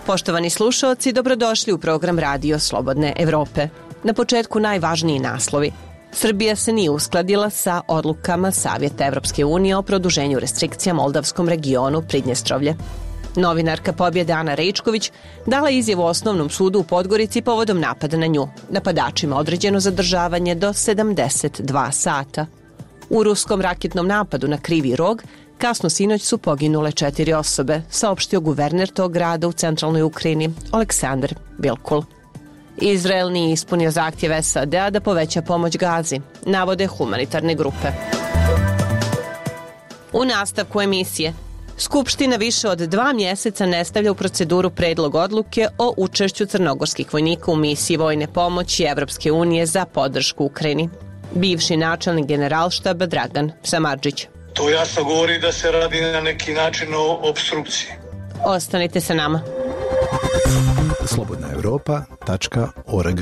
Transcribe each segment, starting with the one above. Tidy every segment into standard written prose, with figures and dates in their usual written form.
Poštovani slušaoci, dobrodošli u program Radio Slobodne Evrope. Na početku najvažniji naslovi. Srbija se nije uskladila sa odlukama Savjeta Evropske unije o produženju restrikcija moldavskom regionu Pridnjestrovlje. Novinarka Pobjede Ana Rejčković dala izjavu Osnovnom sudu u Podgorici povodom napada na nju. Napadačima određeno zadržavanje do 72 sata. U ruskom raketnom napadu na Krivi Rog kasno sinoć su poginule 4 osobe, saopštio guverner tog grada u centralnoj Ukrajini, Aleksandar Vilkul. Izrael nije ispunio zahtjev SAD-a da poveća pomoć Gazi, navode humanitarne grupe. U nastavku emisije, Skupština više od 2 mjeseca ne stavlja u proceduru predlog odluke o učešću crnogorskih vojnika u misiji vojne pomoći Evropske unije za podršku Ukrajini. Bivši načelnik generalštaba Dragan Samardžić. To jasno govori da se radi na neki način o opstrukciji. Ostanite sa nama. slobodnaevropa.org.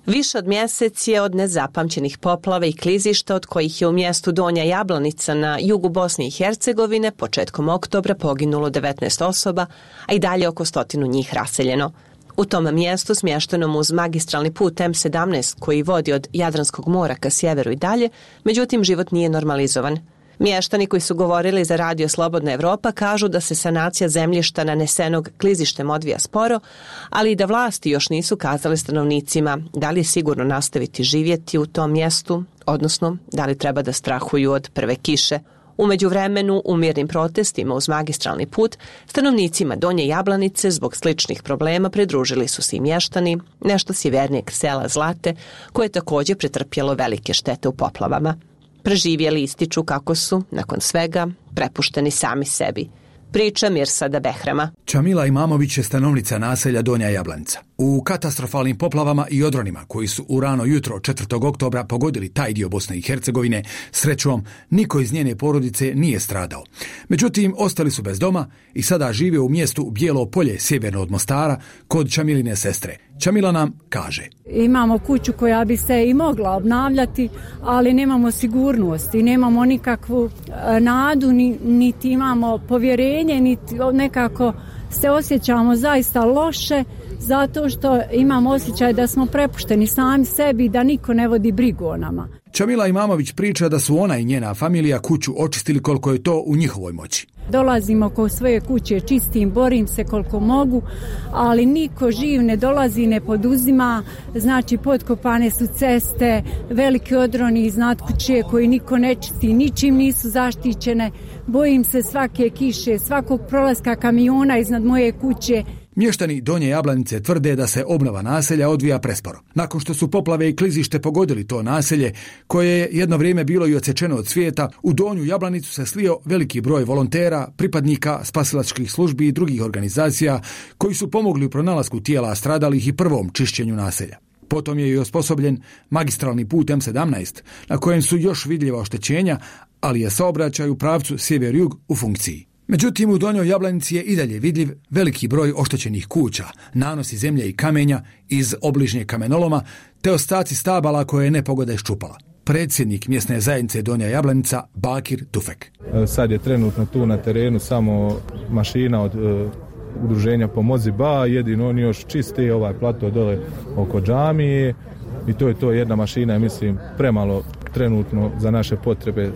Više od mjesec je od nezapamćenih poplava i klizišta, od kojih je u mjestu Donja Jablanica na jugu Bosne i Hercegovine početkom oktobra poginulo 19 osoba, a i dalje oko 100 njih raseljeno. U tom mjestu, smještenom uz magistralni put M17 koji vodi od Jadranskog mora ka sjeveru i dalje, međutim život nije normalizovan. Mještani koji su govorili za Radio Slobodna Evropa kažu da se sanacija zemljišta nanesenog klizištem odvija sporo, ali i da vlasti još nisu kazale stanovnicima da li je sigurno nastaviti živjeti u tom mjestu, odnosno da li treba da strahuju od prve kiše. U međuvremenu, u mirnim protestima uz magistralni put, stanovnicima Donje Jablanice zbog sličnih problema pridružili su se i mještani nešto sjevernijeg sela Zlate, koje je također pretrpjelo velike štete u poplavama. Preživjeli ističu kako su, nakon svega, prepušteni sami sebi. Priča Mirsada Behrama. Čamila Imamović je stanovnica naselja Donja Jablanica. U katastrofalnim poplavama i odronima koji su u rano jutro 4. oktobra pogodili taj dio Bosne i Hercegovine, srećom, niko iz njene porodice nije stradao. Međutim, ostali su bez doma i sada žive u mjestu Bijelo Polje, sjeverno od Mostara, kod Čamiline sestre. Čamila nam kaže. Imamo kuću koja bi se i mogla obnavljati, ali nemamo sigurnost i nemamo nikakvu nadu, niti imamo povjerenje, niti nekako se osjećamo zaista loše, zato što imamo osjećaj da smo prepušteni sami sebi i da niko ne vodi brigu o nama. Čamila Imamović priča da su ona i njena familija kuću očistili koliko je to u njihovoj moći. Dolazim oko svoje kuće, čistim, borim se koliko mogu, ali niko živ ne dolazi, ne poduzima, znači potkopane su ceste, veliki odroni iznad kuće koji niko ne čisti, ničim nisu zaštićene, bojim se svake kiše, svakog prolaska kamiona iznad moje kuće. Mještani Donje Jablanice tvrde da se obnova naselja odvija presporo. Nakon što su poplave i klizište pogodili to naselje, koje je jedno vrijeme bilo i odsječeno od svijeta, u Donju Jablanicu se slio veliki broj volontera, pripadnika spasilačkih službi i drugih organizacija koji su pomogli u pronalasku tijela stradalih i prvom čišćenju naselja. Potom je i osposobljen magistralni put M17, na kojem su još vidljiva oštećenja, ali je saobraćaj u pravcu sjever-jug u funkciji. Međutim, u Donjoj Jablanici je i dalje vidljiv veliki broj oštećenih kuća, nanosi zemlje i kamenja iz obližnje kamenoloma, te ostaci stabala koje je nepogoda iščupala. Predsjednik mjesne zajednice Donja Jablanica, Bakir Tufek. Sad je trenutno tu na terenu samo mašina od udruženja Pomozi Ba, jedino oni još čiste ovaj plato dole oko džamije i to je to, jedna mašina je, mislim, premalo trenutno za naše potrebe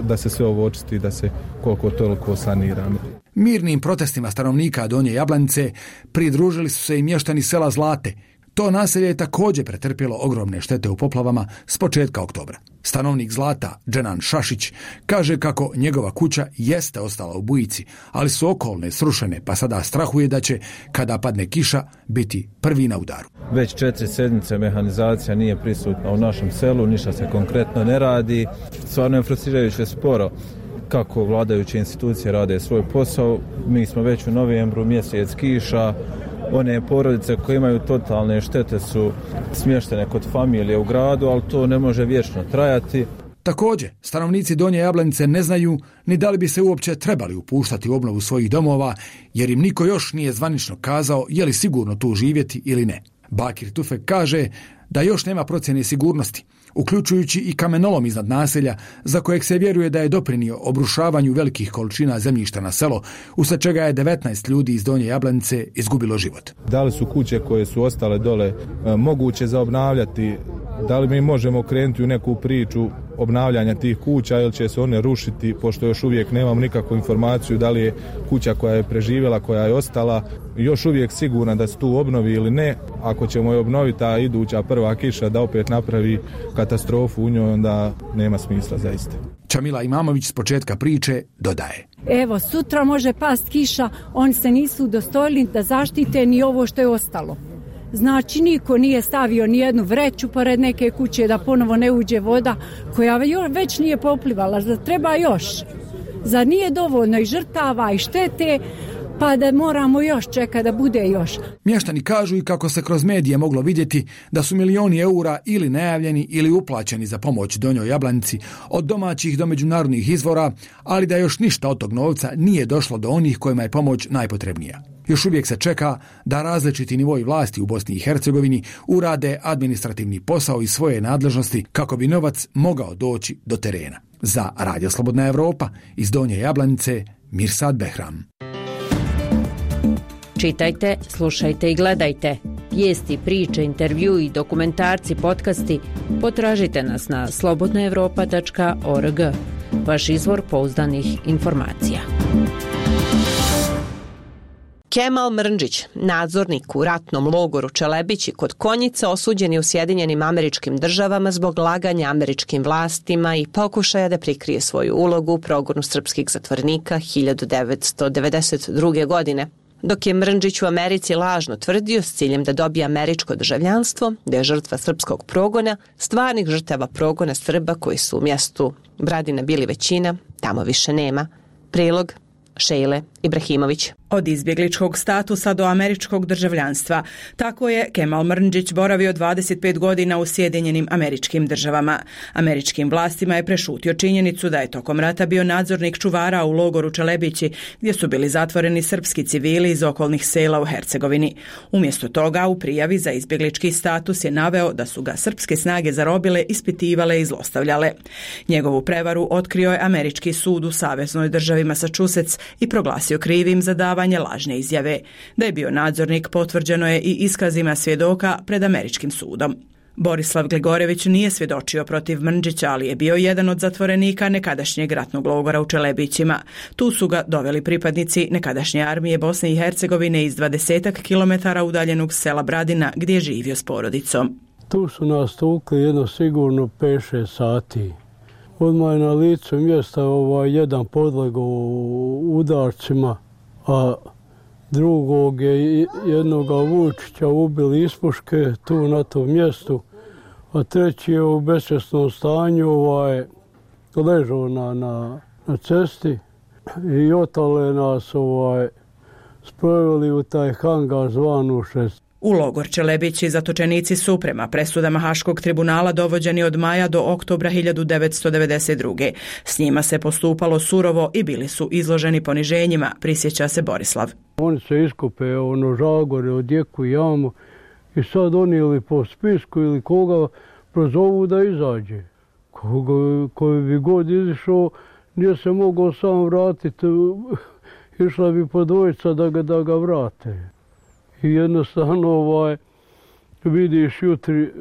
da se sve ovo očisti, da se koliko toliko sanira. Mirnim protestima stanovnika Donje Jablanice pridružili su se i mještani sela Zlate. To naselje je također pretrpjelo ogromne štete u poplavama s početka oktobra. Stanovnik Zlata, Dženan Šašić, kaže kako njegova kuća jeste ostala u bujici, ali su okolne srušene, pa sada strahuje da će, kada padne kiša, biti prvi na udaru. Već 4 sedmice mehanizacija nije prisutna u našem selu, ništa se konkretno ne radi. Stvarno je frustrirajuće sporo kako vladajuće institucije rade svoj posao. Mi smo već u novembru, mjesec kiša. One porodice koje imaju totalne štete su smještene kod familije u gradu, ali to ne može vječno trajati. Također, stanovnici Donje Jablanice ne znaju ni da li bi se uopće trebali upuštati u obnovu svojih domova, jer im niko još nije zvanično kazao je li sigurno tu živjeti ili ne. Bakir Tufek kaže da još nema procjene sigurnosti. uključujući i kamenolom iznad naselja, za kojeg se vjeruje da je doprinio obrušavanju velikih količina zemljišta na selo, usled čega je 19 ljudi iz Donje Jablanice izgubilo život. Da li su kuće koje su ostale dole moguće za obnavljati? Da li mi možemo krenuti u neku priču obnavljanja tih kuća ili će se one rušiti, pošto još uvijek nemamo nikakvu informaciju da li je kuća koja je preživjela, koja je ostala, još uvijek sigurna da se tu obnovi ili ne. Ako ćemo je obnoviti, a iduća prva kiša da opet napravi katastrofu u njoj, onda nema smisla zaista. Čamila Imamović s početka priče dodaje: Evo, sutra može past kiša, oni se nisu udostojili da zaštite ni ovo što je ostalo. Znači, niko nije stavio ni jednu vreću pored neke kuće da ponovo ne uđe voda koja već nije poplivala. Zar treba još? Zar nije dovoljno i žrtava i štete, pa da moramo još čekati da bude još? Mještani kažu i kako se kroz medije moglo vidjeti da su milioni eura ili najavljeni ili uplaćeni za pomoć Donjoj Jablanici od domaćih do međunarodnih izvora, ali da još ništa od tog novca nije došlo do onih kojima je pomoć najpotrebnija. Još uvijek se čeka da različiti nivoji vlasti u Bosni i Hercegovini urade administrativni posao iz svoje nadležnosti kako bi novac mogao doći do terena. Za Radio Slobodna Evropa iz Donje Jablanice, Mirsad Behram. Čitajte, slušajte i gledajte. Vijesti, priče, intervju i dokumentarci, podcasti potražite nas na slobodnaevropa.org. Vaš izvor pouzdanih informacija. Kemal Mrndžić, nadzornik u ratnom logoru Čelebići kod Konjica, osuđen je u Sjedinjenim Američkim Državama zbog laganja američkim vlastima i pokušaja da prikrije svoju ulogu u progonu srpskih zatvorenika 1992. godine. Dok je Mrndžić u Americi lažno tvrdio s ciljem da dobije američko državljanstvo, da je žrtva srpskog progona, stvarnih žrtava progona Srba koji su u mjestu Bradina bili većina, tamo više nema. Prilog Šejle Ibrahimović. Od izbjegličkog statusa do američkog državljanstva. Tako je Kemal Mrndžić boravio 25 godina u Sjedinjenim Američkim Državama. Američkim vlastima je prešutio činjenicu da je tokom rata bio nadzornik čuvara u logoru Čelebići, gdje su bili zatvoreni srpski civili iz okolnih sela u Hercegovini. Umjesto toga, u prijavi za izbjeglički status je naveo da su ga srpske snage zarobile, ispitivale i zlostavljale. Njegovu prevaru otkrio je američki sud u saveznoj državi Massachusetts i proglasio krivim za davanje lažne izjave. Da je bio nadzornik potvrđeno je i iskazima svjedoka pred američkim sudom. Borislav Gligorević nije svjedočio protiv Mrndžića, ali je bio jedan od zatvorenika nekadašnjeg ratnog logora u Čelebićima. Tu su ga doveli pripadnici nekadašnje armije Bosne i Hercegovine iz 20 kilometara udaljenog sela Bradina, gdje je živio s porodicom. Tu su nas tukli jedno sigurno 5-6 sati. Odmah je na licu mjesta jedan podlegao udarcima, a drugog je jednoga Vučića ubili iz puške tu na tom mjestu, a treći je u besvjesnom stanju ležao na cesti i otale nas sproveli u taj hangar zvanu 6. U logor Čelebići zatočenici su prema presudama Haškog tribunala dovođeni od maja do oktobra 1992. S njima se postupalo surovo i bili su izloženi poniženjima, prisjeća se Borislav. Oni se iskupe žagore, odjeku jamu i sad oni ili po spisku ili koga prozovu da izađe. Koji bi god izišao nije se mogao sam vratiti, išla bi po dvojica da ga vrate. I jednostavno vidiš jutri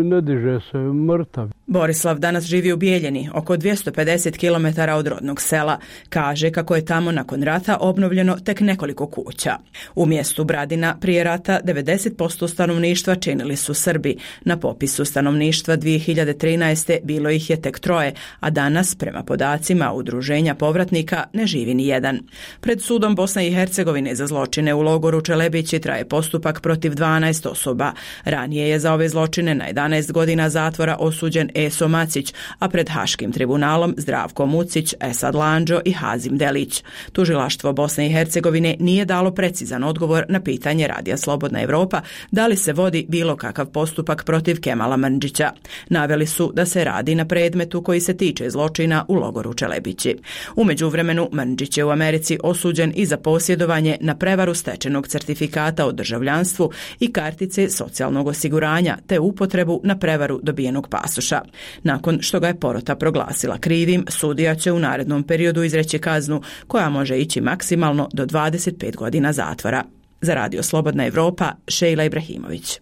ne diže se, mrtav. Borislav danas živi u Bijeljini, oko 250 km od rodnog sela. Kaže kako je tamo nakon rata obnovljeno tek nekoliko kuća. U mjestu Bradina prije rata 90% stanovništva činili su Srbi. Na popisu stanovništva 2013. bilo ih je tek 3, a danas, prema podacima Udruženja povratnika, ne živi ni jedan. Pred sudom Bosne i Hercegovine za zločine u logoru Čelebići traje postupak protiv 12 osoba. Ranije je za ove zločine na 11 godina zatvora osuđen Eso Macić, a pred Haškim tribunalom Zdravko Mucić, Esad Landžo i Hazim Delić. Tužilaštvo Bosne i Hercegovine nije dalo precizan odgovor na pitanje Radija Slobodna Evropa da li se vodi bilo kakav postupak protiv Kemala Mrndžića. Naveli su da se radi na predmetu koji se tiče zločina u logoru Čelebići. U međuvremenu Mrndžić je u Americi osuđen i za posjedovanje na prevaru stečenog certifikata o državljanstvu i kartice socijalnog osiguranja te upotrebu na prevaru dobijenog pasoša. Nakon što ga je porota proglasila krivim, sudija će u narednom periodu izreći kaznu koja može ići maksimalno do 25 godina zatvora. Za Radio Slobodna Evropa, Šejla Ibrahimović.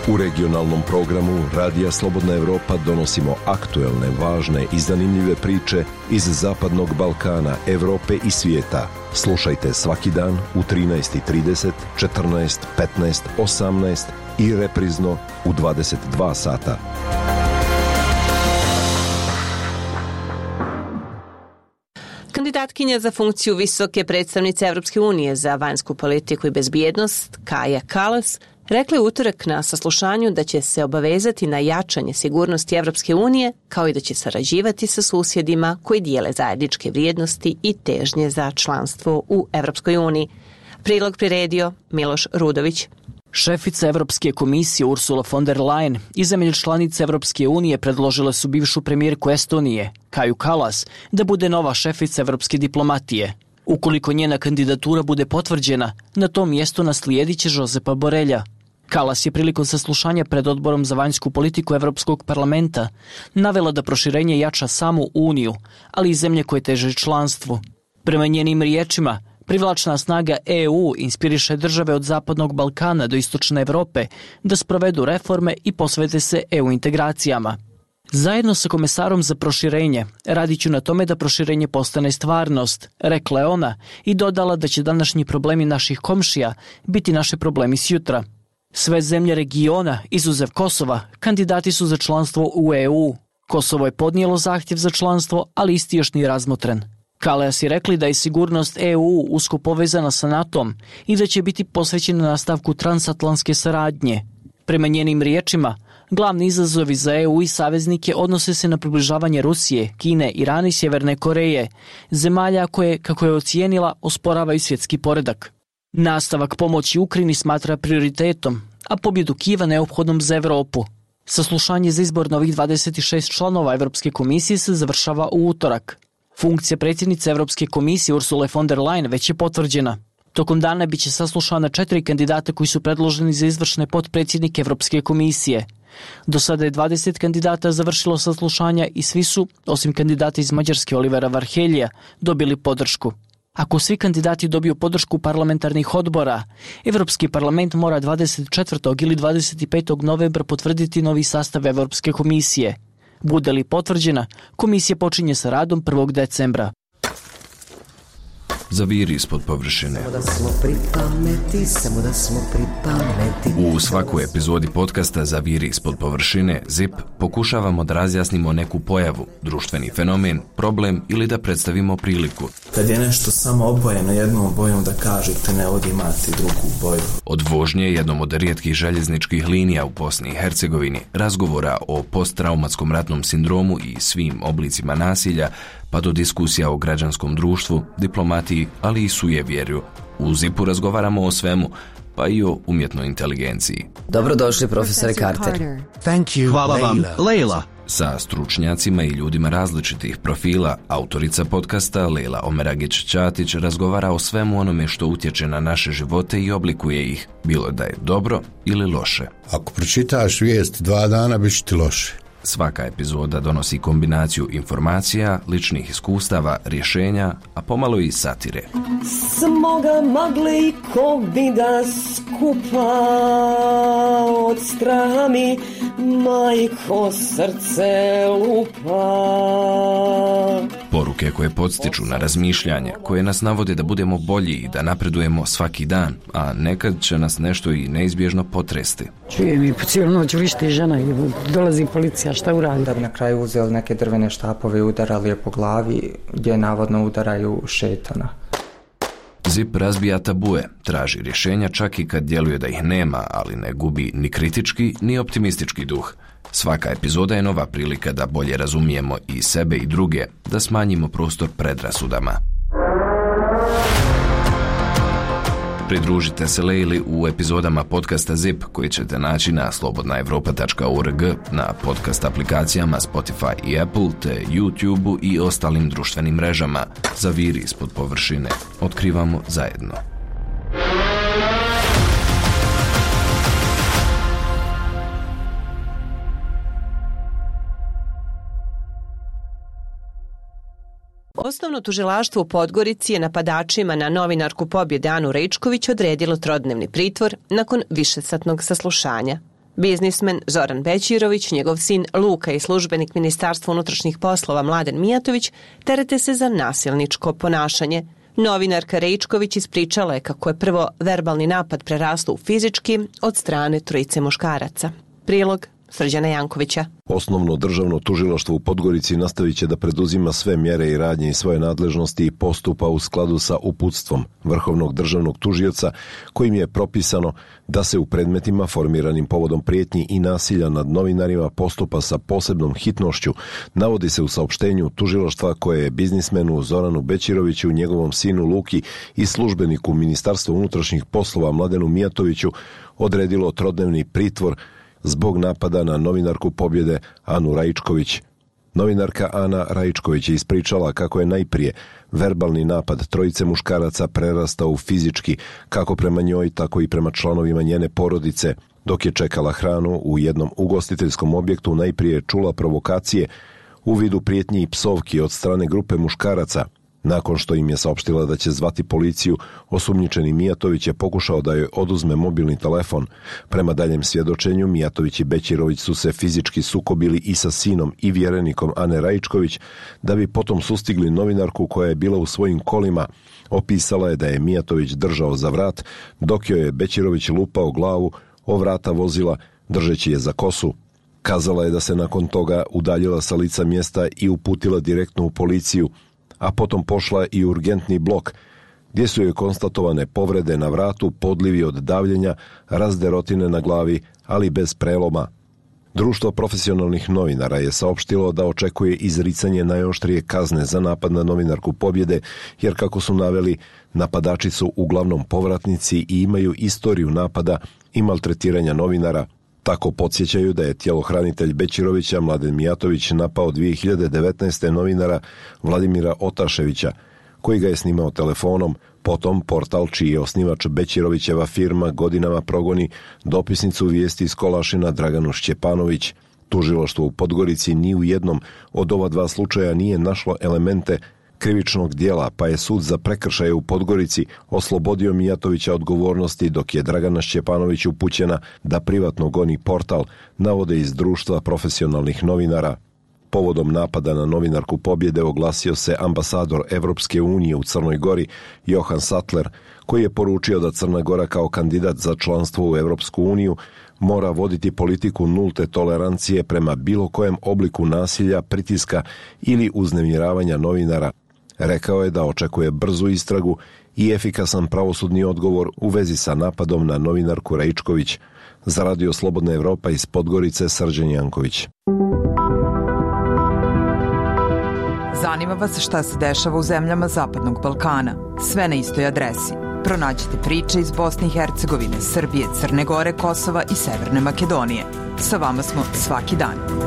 U regionalnom programu Radija Slobodna Evropa donosimo aktuelne, važne i zanimljive priče iz Zapadnog Balkana, Evrope i svijeta. Slušajte svaki dan u 13:30, 14, 15, 18 i reprizno u 22 sata. Kandidatkinja za funkciju visoke predstavnice Evropske unije za vanjsku politiku i bezbjednost, Kaja Kallas, rekla je utorak na saslušanju da će se obavezati na jačanje sigurnosti Evropske unije, kao i da će sarađivati sa susjedima koji dijele zajedničke vrijednosti i težnje za članstvo u Evropskoj uniji. Prilog priredio Miloš Rudović. Šefica Evropske komisije Ursula von der Leyen i zemlje članice Evropske unije predložile su bivšu premijerku Estonije, Kaju Kallas, da bude nova šefica evropske diplomatije. Ukoliko njena kandidatura bude potvrđena, na tom mjestu naslijedit će Josepa Borrella. Kallas je prilikom saslušanja pred Odborom za vanjsku politiku Evropskog parlamenta navela da proširenje jača samu Uniju, ali i zemlje koje teže članstvu. Prema njenim riječima, privlačna snaga EU inspiriše države od Zapadnog Balkana do Istočne Evrope da sprovedu reforme i posvete se EU integracijama. Zajedno sa komesarom za proširenje radit ću na tome da proširenje postane stvarnost, rekla je ona i dodala da će današnji problemi naših komšija biti naši problemi sjutra. Sve zemlje regiona, izuzev Kosova, kandidati su za članstvo u EU. Kosovo je podnijelo zahtjev za članstvo, ali isti još nije razmotren. Kallas je rekli da je sigurnost EU usko povezana sa NATO-om i da će biti posvećena nastavku transatlantske saradnje. Prema njenim riječima, glavni izazovi za EU i saveznike odnose se na približavanje Rusije, Kine, Irana i Sjeverne Koreje, zemalja koje, kako je ocijenila, osporavaju svjetski poredak. Nastavak pomoći Ukrajini smatra prioritetom, a pobjedu Kijeva neophodnom za Europu. Saslušanje za izbor novih 26 članova Evropske komisije se završava u utorak. Funkcija predsjednice Evropske komisije Ursule von der Leyen već je potvrđena. Tokom dana biće saslušana 4 kandidata koji su predloženi za izvršne potpredsjednike Evropske komisije. Do sada je 20 kandidata završilo saslušanja i svi su, osim kandidata iz Mađarske Olivera Varhelija, dobili podršku. Ako svi kandidati dobiju podršku parlamentarnih odbora, Evropski parlament mora 24. ili 25. novembra potvrditi novi sastav Evropske komisije. Bude li potvrđena, komisija počinje sa radom 1. decembra. Zaviri ispod površine. U svakoj epizodi podcasta Zaviri ispod površine ZIP pokušavamo da razjasnimo neku pojavu, društveni fenomen, problem ili da predstavimo priliku. Kad je nešto samo obojeno jednom bojom da kažete ne ovdje imate drugu boju. Od vožnje jednom od rijetkih željezničkih linija u Bosni i Hercegovini, razgovora o posttraumatskom ratnom sindromu i svim oblicima nasilja, pa do diskusija o građanskom društvu, diplomatiji, ali i sujevjerju. U ZIP-u razgovaramo o svemu, pa i o umjetnoj inteligenciji. Dobrodošli, profesore Carter. Thank you, hvala vam, Leila. Sa stručnjacima i ljudima različitih profila, autorica podcasta Leila Omeragić-Ćatić razgovara o svemu onome što utječe na naše živote i oblikuje ih, bilo da je dobro ili loše. Ako pročitaš vijest 2 dana, bit će ti loše. Svaka epizoda donosi kombinaciju informacija, ličnih iskustava, rješenja, a pomalo i satire. Smoga magle i kovida skupa od straha mi majko srce lupa. Poruke koje podstiču na razmišljanje, koje nas navode da budemo bolji i da napredujemo svaki dan, a nekad će nas nešto i neizbježno potresti. Čujem i po cijelu noć vrišti žena i dolazi policija, šta uradi? Da bi na kraju uzeli neke drvene štapove i udarali je po glavi, gdje navodno udaraju šetana. ZIP razbija tabue, traži rješenja čak i kad djeluje da ih nema, ali ne gubi ni kritički ni optimistički duh. Svaka epizoda je nova prilika da bolje razumijemo i sebe i druge, da smanjimo prostor predrasudama. Pridružite se Leili u epizodama podcasta ZIP koji ćete naći na slobodnaevropa.org, na podcast aplikacijama Spotify i Apple, te YouTube i ostalim društvenim mrežama. Zaviri ispod površine. Otkrivamo zajedno. Osnovno tužilaštvo u Podgorici je napadačima na novinarku Pobjede Anu Raičković odredilo trodnevni pritvor nakon višesatnog saslušanja. Biznismen Zoran Bećirović, njegov sin Luka i službenik Ministarstva unutrašnjih poslova Mladen Mijatović terete se za nasilničko ponašanje. Novinarka Raičković ispričala je kako je prvo verbalni napad preraslo u fizički od strane trojice muškaraca. Prilog Srđana Jankovića. Osnovno državno tužilaštvo u Podgorici nastavit će da preduzima sve mjere i radnje iz svoje nadležnosti i postupa u skladu sa uputstvom Vrhovnog državnog tužioca kojim je propisano da se u predmetima formiranim povodom prijetnji i nasilja nad novinarima postupa sa posebnom hitnošću, navodi se u saopštenju tužilaštva koje je biznismenu Zoranu Bećiroviću, njegovom sinu Luki i službeniku Ministarstva unutrašnjih poslova Mladenu Mijatoviću odredilo trodnevni pritvor zbog napada na novinarku Pobjede Anu Raičković. Novinarka Ana Raičković je ispričala kako je najprije verbalni napad trojice muškaraca prerastao u fizički, kako prema njoj, tako i prema članovima njene porodice. Dok je čekala hranu u jednom ugostiteljskom objektu, najprije je čula provokacije u vidu prijetnji i psovki od strane grupe muškaraca. Nakon što im je saopštila da će zvati policiju, osumnjičeni Mijatović je pokušao da joj oduzme mobilni telefon. Prema daljem svjedočenju, Mijatović i Bećirović su se fizički sukobili i sa sinom i vjerenikom Ane Raičković, da bi potom sustigli novinarku koja je bila u svojim kolima. Opisala je da je Mijatović držao za vrat, dok joj je Bećirović lupao glavu o vrata vozila, držeći je za kosu. Kazala je da se nakon toga udaljila sa lica mjesta i uputila direktno u policiju, a potom pošla i u urgentni blok, gdje su joj konstatovane povrede na vratu, podlivi od davljenja, razderotine na glavi, ali bez preloma. Društvo profesionalnih novinara je saopštilo da očekuje izricanje najoštrije kazne za napad na novinarku Pobjede, jer kako su naveli, napadači su uglavnom povratnici i imaju istoriju napada i maltretiranja novinara. Tako podsjećaju da je tjelohranitelj Bećirovića Mladen Mijatović napao 2019. novinara Vladimira Otaševića, koji ga je snimao telefonom. Potom portal čiji je osnivač Bećirovićeva firma godinama progoni dopisnicu vijesti iz Kolašina Draganu Šćepanović. Tužilaštvo u Podgorici ni u jednom od ova dva slučaja nije našlo elemente krivičnog dijela, pa je sud za prekršaje u Podgorici oslobodio Mijatovića odgovornosti, dok je Dragana Šćepanović upućena da privatno goni portal, navode iz društva profesionalnih novinara. Povodom napada na novinarku Pobjede oglasio se ambasador Evropske unije u Crnoj Gori Johan Sattler, koji je poručio da Crna Gora kao kandidat za članstvo u Evropsku uniju mora voditi politiku nulte tolerancije prema bilo kojem obliku nasilja, pritiska ili uznemiravanja novinara. Rekao je da očekuje brzu istragu i efikasan pravosudni odgovor u vezi sa napadom na novinarku Raičković. Za Radio Slobodna Evropa iz Podgorice, Srđan Janković. Zanima vas šta se dešava u zemljama Zapadnog Balkana? Sve na istoj adresi. Pronađite priče iz Bosne i Hercegovine, Srbije, Crne Gore, Kosova i Severne Makedonije. Sa vama smo svaki dan.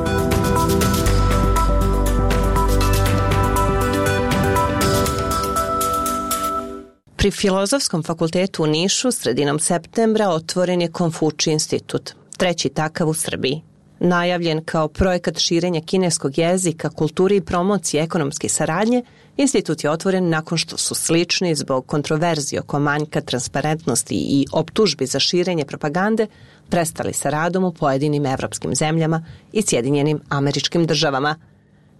Pri Filozofskom fakultetu u Nišu sredinom septembra otvoren je Konfučij institut, treći takav u Srbiji. Najavljen kao projekat širenja kineskog jezika, kulture i promocije ekonomske saradnje, institut je otvoren nakon što su slični zbog kontroverzije oko manjka transparentnosti i optužbi za širenje propagande prestali sa radom u pojedinim evropskim zemljama i Sjedinjenim Američkim Državama.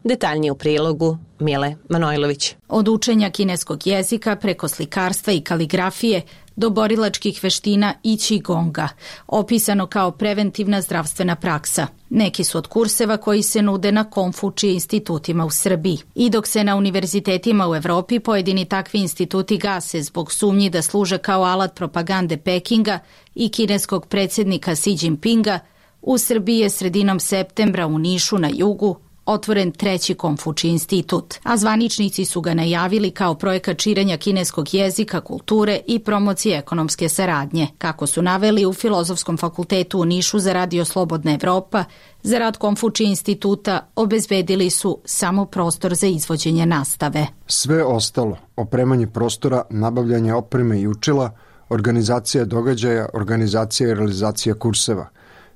Detaljnije u prilogu Mile Manojlović. Od učenja kineskog jezika preko slikarstva i kaligrafije do borilačkih veština i qigonga, opisano kao preventivna zdravstvena praksa. Neki su od kurseva koji se nude na Konfučij institutima u Srbiji. I dok se na univerzitetima u Evropi pojedini takvi instituti gase zbog sumnji da služe kao alat propagande Pekinga i kineskog predsjednika Xi Jinpinga, u Srbiji je sredinom septembra u Nišu na jugu otvoren treći Konfučij institut, a zvaničnici su ga najavili kao projekat širenja kineskog jezika, kulture i promocije ekonomske saradnje. Kako su naveli u Filozofskom fakultetu u Nišu za Radio Slobodna Evropa, za rad Konfučij instituta obezbedili su samo prostor za izvođenje nastave. Sve ostalo, opremanje prostora, nabavljanje opreme i učila, organizacija događaja, organizacija i realizacija kurseva,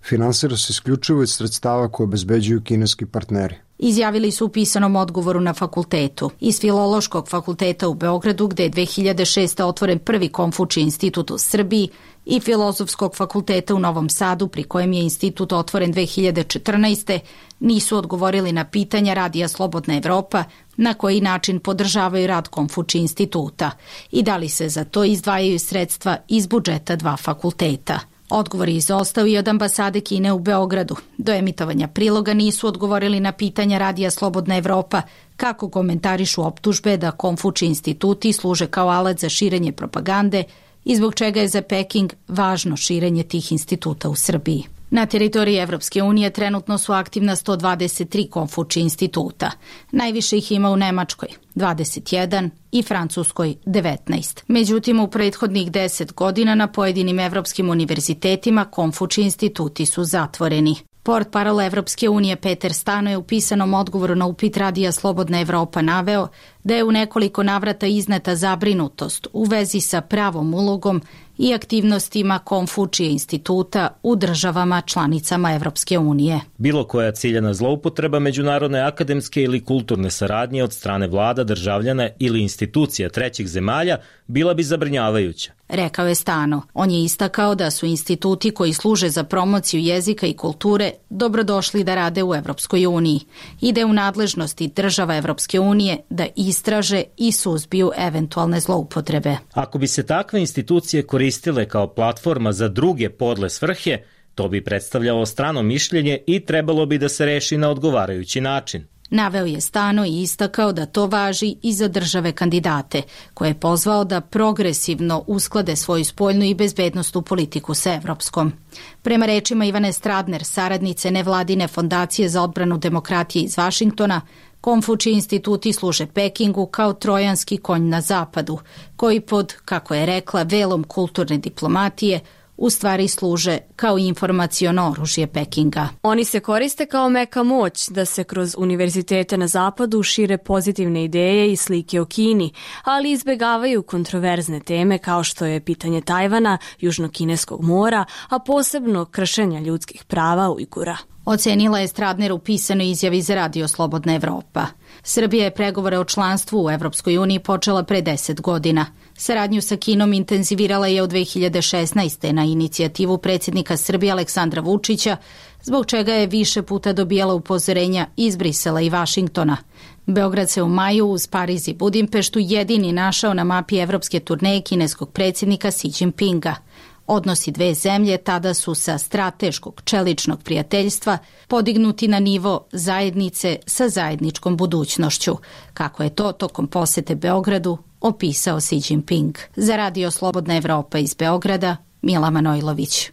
finansira se isključivo iz sredstava koje obezbeđuju kineski partneri. Izjavili su u pisanom odgovoru na fakultetu. Iz Filološkog fakulteta u Beogradu, gde je 2006. otvoren prvi Konfučij institut u Srbiji, i Filozofskog fakulteta u Novom Sadu, pri kojem je institut otvoren 2014. nisu odgovorili na pitanja Radija Slobodna Evropa na koji način podržavaju rad Konfučij instituta i da li se za to izdvajaju sredstva iz budžeta dva fakulteta. Odgovor je izostao i od ambasade Kine u Beogradu. Do emitovanja priloga nisu odgovorili na pitanja Radija Slobodna Evropa kako komentarišu optužbe da Konfučij instituti služe kao alat za širenje propagande i zbog čega je za Peking važno širenje tih instituta u Srbiji. Na teritoriji Evropske unije trenutno su aktivna 123 Konfučij instituta. Najviše ih ima u Nemačkoj, 21, i Francuskoj, 19. Međutim, u prethodnih 10 godina na pojedinim evropskim univerzitetima Konfučij instituti su zatvoreni. Portparol Evropske unije Peter Stano je u pisanom odgovoru na upit Radija Slobodna Evropa naveo da je u nekoliko navrata izneta zabrinutost u vezi sa pravom ulogom i aktivnostima Konfučija instituta u državama članicama Evropske unije. Bilo koja ciljana zloupotreba međunarodne akademske ili kulturne saradnje od strane vlada, državljana ili institucija trećih zemalja bila bi zabrinjavajuća, rekao je Stano. On je istakao da su instituti koji služe za promociju jezika i kulture dobrodošli da rade u Evropskoj uniji i da je u nadležnosti država Evropske unije da istraže i suzbiju eventualne zloupotrebe. Ako bi se takve institucije koristile kao platforma za druge podle svrhe, to bi predstavljalo strano mišljenje i trebalo bi da se reši na odgovarajući način. Naveo je Stano i istakao da to važi i za države kandidate, koje je pozvao da progresivno usklade svoju spoljnu i bezbednosnu politiku sa evropskom. Prema rečima Ivane Stradner, saradnice nevladine fondacije za odbranu demokratije iz Vašingtona, Konfučij instituti služe Pekingu kao trojanski konj na zapadu, koji pod, kako je rekla, velom kulturne diplomatije u stvari služe kao informaciono oružje Pekinga. Oni se koriste kao meka moć da se kroz univerzitete na zapadu šire pozitivne ideje i slike o Kini, ali izbegavaju kontroverzne teme kao što je pitanje Tajvana, Južnokineskog mora, a posebno kršenja ljudskih prava Ujgura. Ocenila je Stradner u pisanoj izjavi za Radio Slobodna Evropa. Srbija je pregovore o članstvu u Evropskoj uniji počela pre 10 godina. Saradnju sa Kinom intenzivirala je od 2016. na inicijativu predsjednika Srbije Aleksandra Vučića, zbog čega je više puta dobijala upozorenja iz Brisela i Vašingtona. Beograd se u maju uz Pariz i Budimpeštu jedini našao na mapi evropske turneje kineskog predsjednika Xi Jinpinga. Odnosi dve zemlje tada su sa strateškog čeličnog prijateljstva podignuti na nivo zajednice sa zajedničkom budućnošću, kako je to tokom posete Beogradu opisao Xi Jinping. Za Radio Slobodna Evropa iz Beograda, Mila Manojlović.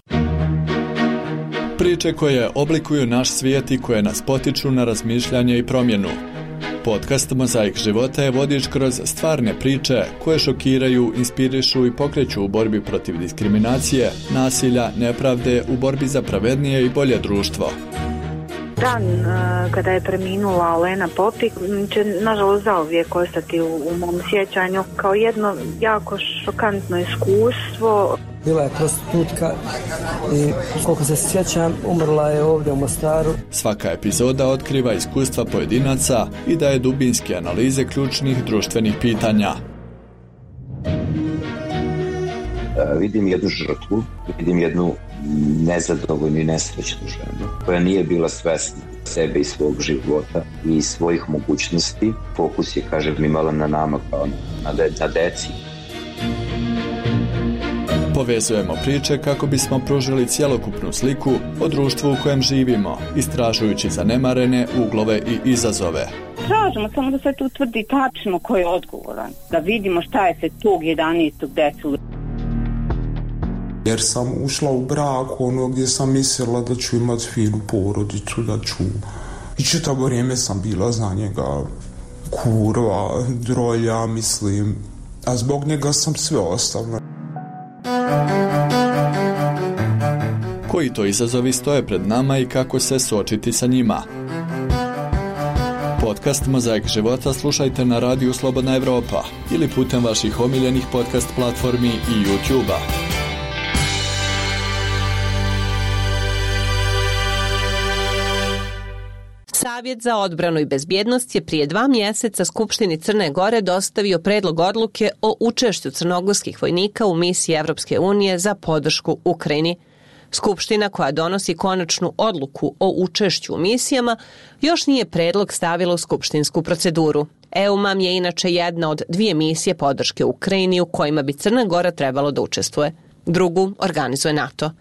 Priče koje oblikuju naš svijet i koje nas potiču na razmišljanje i promjenu. Podcast Mozaik života je vodič kroz stvarne priče koje šokiraju, inspirišu i pokreću u borbi protiv diskriminacije, nasilja, nepravde, u borbi za pravednije i bolje društvo. Dan kada je preminula Olena Popik će nažalost zauvijek ostati u mom sjećanju kao jedno jako šokantno iskustvo. Bila je prostitutka i koliko se sjećam umrla je ovdje u Mostaru. Svaka epizoda otkriva iskustva pojedinaca i daje dubinske analize ključnih društvenih pitanja. Vidim jednu žrtvu, vidim jednu nezadovoljnu i nesrećnu ženu koja nije bila svesna sebe i svog života i svojih mogućnosti. Fokus je, kažem, imala na nama kao na deci. Povezujemo priče kako bismo pružili cjelokupnu sliku o društvu u kojem živimo, istražujući zanemarene uglove i izazove. Tražimo samo da se tu utvrdi tačno ko je odgovoran, da vidimo šta je se tog 11. desilo. Jer sam ušla u brak gdje sam mislila da ću imati finu porodicu, da ću... I čitavo vrijeme sam bila za njega kurva, drolja, mislim. A zbog njega sam sve ostavila. Koji to izazovi stoje pred nama i kako se suočiti sa njima? Podcast Mozaik života slušajte na Radiju Slobodna Evropa ili putem vaših omiljenih podcast platformi i YouTube-a. Savjet za odbranu i bezbjednost je prije 2 mjeseca Skupštini Crne Gore dostavio predlog odluke o učešću crnogorskih vojnika u misiji Evropske unije za podršku Ukrajini. Skupština koja donosi konačnu odluku o učešću u misijama još nije predlog stavila u skupštinsku proceduru. EUMAM je inače jedna od 2 misije podrške Ukrajini u kojima bi Crna Gora trebalo da učestvuje. Drugu organizuje NATO.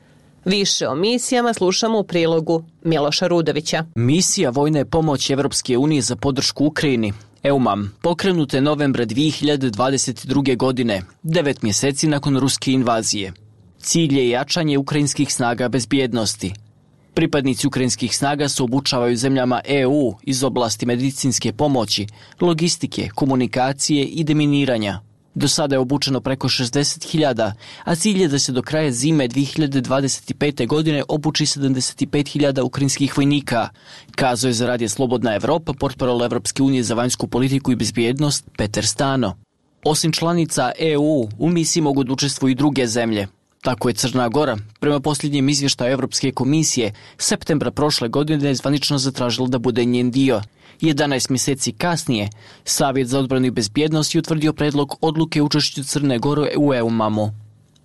Više o misijama slušamo u prilogu Miloša Rudovića. Misija vojne pomoći Evropske unije za podršku Ukrajini, EUMAM, pokrenuta je novembra 2022. godine, 9 mjeseci nakon ruske invazije. Cilj je jačanje ukrajinskih snaga bezbjednosti. Pripadnici ukrajinskih snaga se obučavaju zemljama EU iz oblasti medicinske pomoći, logistike, komunikacije i deminiranja. Do sada je obučeno preko 60.000, a cilj je da se do kraja zime 2025. godine obuči 75.000 ukrajinskih vojnika, kazao je za Radio Slobodna Evropa portparol Evropske unije za vanjsku politiku i bezbjednost Peter Stano. Osim članica EU, u misiji mogu da učestvuju i druge zemlje. Tako je Crna Gora, prema posljednjem izvještaju Evropske komisije, septembra prošle godine je zvanično zatražila da bude njen dio. 11 mjeseci kasnije, Savjet za odbranu i bezbjednost je utvrdio predlog odluke učešću Crne Gore u EUMAM-u.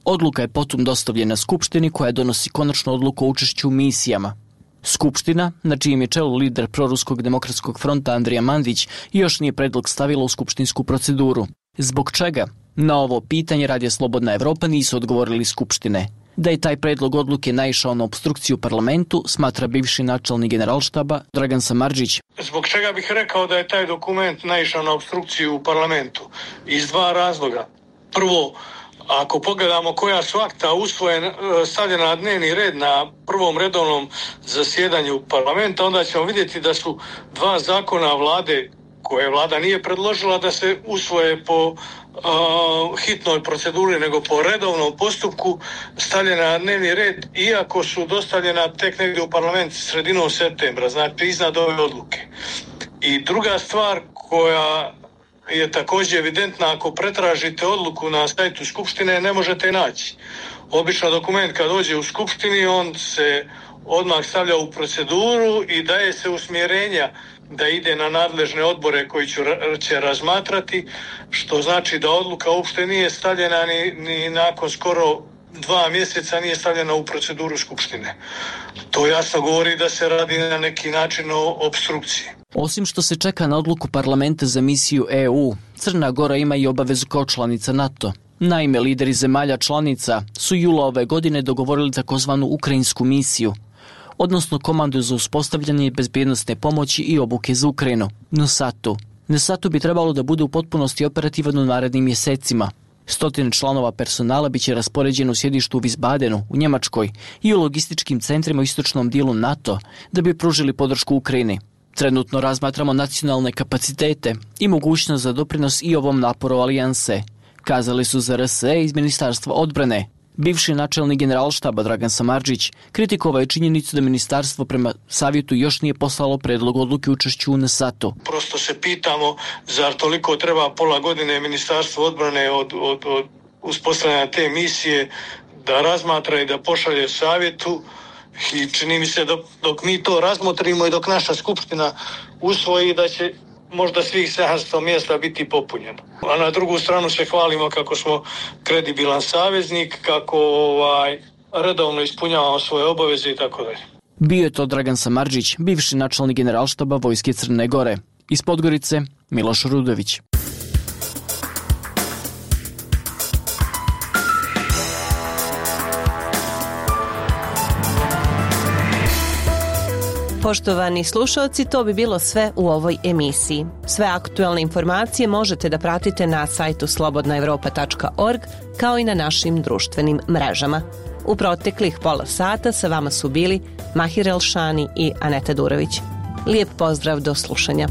Odluka je potom dostavljena Skupštini koja donosi konačnu odluku o učešću u misijama. Skupština, na čijem je čelu lider proruskog demokratskog fronta Andrija Mandić, još nije predlog stavila u skupštinsku proceduru. Zbog čega? Na ovo pitanje Radio Slobodna Evropa nisu odgovorili Skupštine. Da je taj predlog odluke naišao na opstrukciju u parlamentu, smatra bivši načelnik Generalštaba Dragan Samardžić. Zbog čega bih rekao da je taj dokument naišao na opstrukciju u parlamentu? Iz 2 razloga. Prvo, ako pogledamo koja su akta stavljena na dnevni red na prvom redovnom zasjedanju parlamenta, onda ćemo vidjeti da su 2 zakona vlade koje vlada nije predložila da se usvoje po hitnoj proceduri, nego po redovnom postupku stavljena na dnevni red, iako su dostavljena tek negdje u parlament sredinom septembra, znači iznad ove odluke. I druga stvar koja je također evidentna, ako pretražite odluku na sajtu Skupštine, ne možete je naći. Obično dokument kad dođe u Skupštini, on se odmah stavlja u proceduru i daje se usmjerenja da ide na nadležne odbore koji će razmatrati, što znači da odluka uopšte nije stavljena ni nakon skoro 2 mjeseca nije stavljena u proceduru Skupštine. To jasno govori da se radi na neki način o opstrukciji. Osim što se čeka na odluku parlamenta za misiju EU, Crna Gora ima i obavezu kao članica NATO. Naime, lideri zemalja članica su jula ove godine dogovorili takozvanu ukrajinsku misiju, odnosno komandu za uspostavljanje bezbjednostne pomoći i obuke za Ukrajinu, NSATU. NSATU bi trebalo da bude u potpunosti operativan u narednim mjesecima. 100 članova personala biće raspoređeno u sjedištu u Wiesbadenu, u Njemačkoj, i u logističkim centrima u istočnom dijelu NATO, da bi pružili podršku Ukrajini. Trenutno razmatramo nacionalne kapacitete i mogućnost za doprinos i ovom naporu alijanse, kazali su za RSE iz Ministarstva odbrane. Bivši načelnik Generalštaba Dragan Samardžić kritikovao je činjenicu da ministarstvo prema savjetu još nije poslalo predlog odluke učešću u NSATU. Prosto se pitamo, zar toliko treba pola godine Ministarstvo odbrane od uspostavljanja te misije da razmatra i da pošalje savjetu, i čini mi se dok mi to razmotrimo i dok naša skupština usvoji da će možda svih 700 mjesta biti popunjeno. A na drugu stranu se hvalimo kako smo kredibilan saveznik, kako redovno ispunjavamo svoje obaveze i tako dalje. Bio je to Dragan Samardžić, bivši načelnik Generalštaba Vojske Crne Gore. Iz Podgorice, Miloš Rudović. Poštovani slušalci, to bi bilo sve u ovoj emisiji. Sve aktuelne informacije možete da pratite na sajtu slobodnaevropa.org kao i na našim društvenim mrežama. U proteklih pola sata sa vama su bili Mahir Elšani i Aneta Durović. Lijep pozdrav, do slušanja.